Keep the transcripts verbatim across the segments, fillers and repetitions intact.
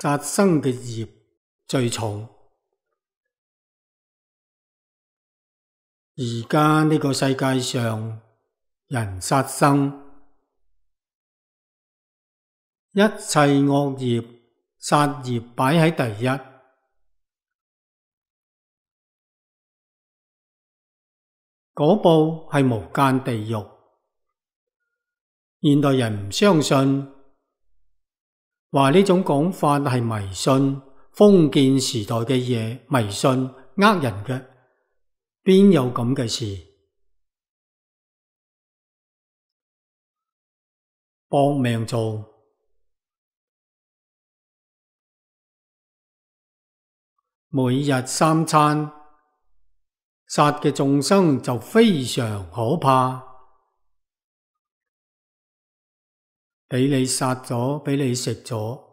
殺生嘅業最重。而家呢個世界上，人殺生，一切惡業，殺業擺喺第一。嗰部係無間地獄。現代人唔相信，話呢種講法係迷信，封建時代嘅嘢，迷信呃人嘅，邊有咁嘅事？搏命做，每日三餐，殺嘅眾生就非常可怕。俾你殺咗，俾你食咗，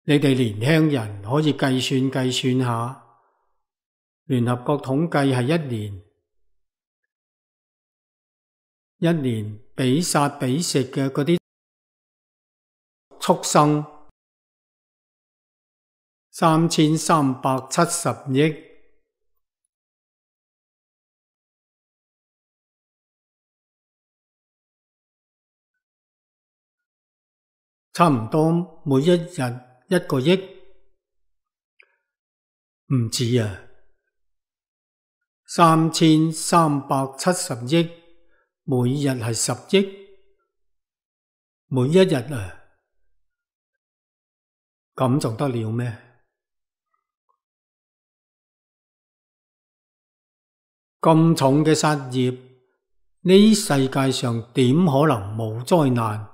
你哋年輕人可以計算計算下，聯合國統計係一年，一年俾殺俾食嘅嗰啲畜生，三千三百七十億，差唔多每一日一個億，唔止啊，三千三百七十億，每日係十億，每一日啊，咁仲得了咩？咁重嘅殺業，呢世界上點可能冇災難？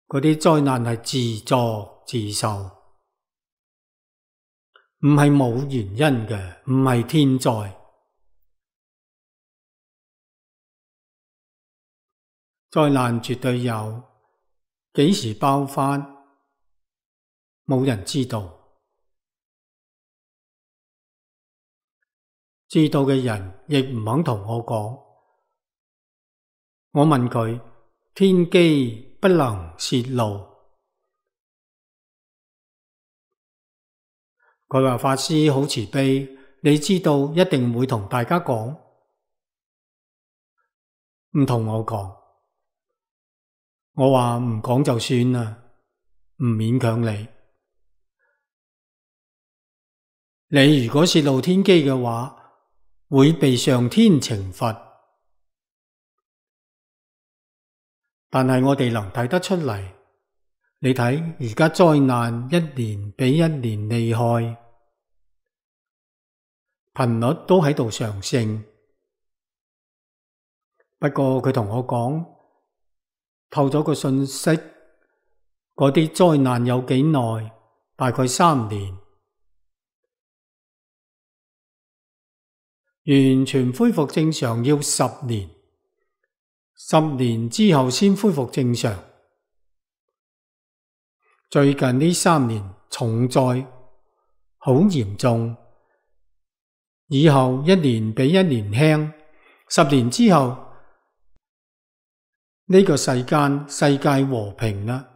嗰啲災難係自作自受，唔係冇原因嘅，唔係天災。災難絕對有，幾時爆發，冇人知道。知道嘅人亦唔肯同我講。我問佢，天機不能洩露。佢話法師好慈悲，你知道一定會同大家講，唔同我講。我話唔講就算啦，唔勉強你。你如果洩露天機嘅話，會被上天懲罰，但係我哋能睇得出嚟。你睇而家災難一年比一年厲害，頻率都喺度上升。不過佢同我講，透咗個信息，嗰啲災難有幾耐？大概三年。完全恢復正常要十年，十年之後先恢復正常。最近呢三年重災好嚴重，以後一年比一年輕，十年之後呢個世間世界和平啦，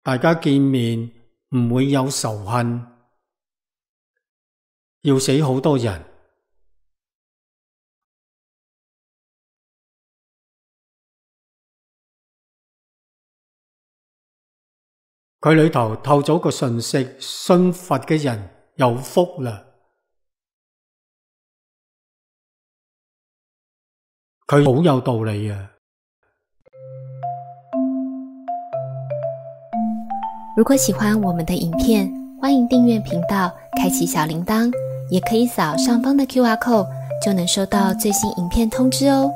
大家見面唔會有仇恨，要死好多人。佢裏頭透咗個信息，信佛嘅人有福啦。佢好有道理啊！如果喜歡我們的影片，歡迎訂閱頻道，開啟小鈴鐺，也可以掃上方的 Q R code，就能收到最新影片通知哦。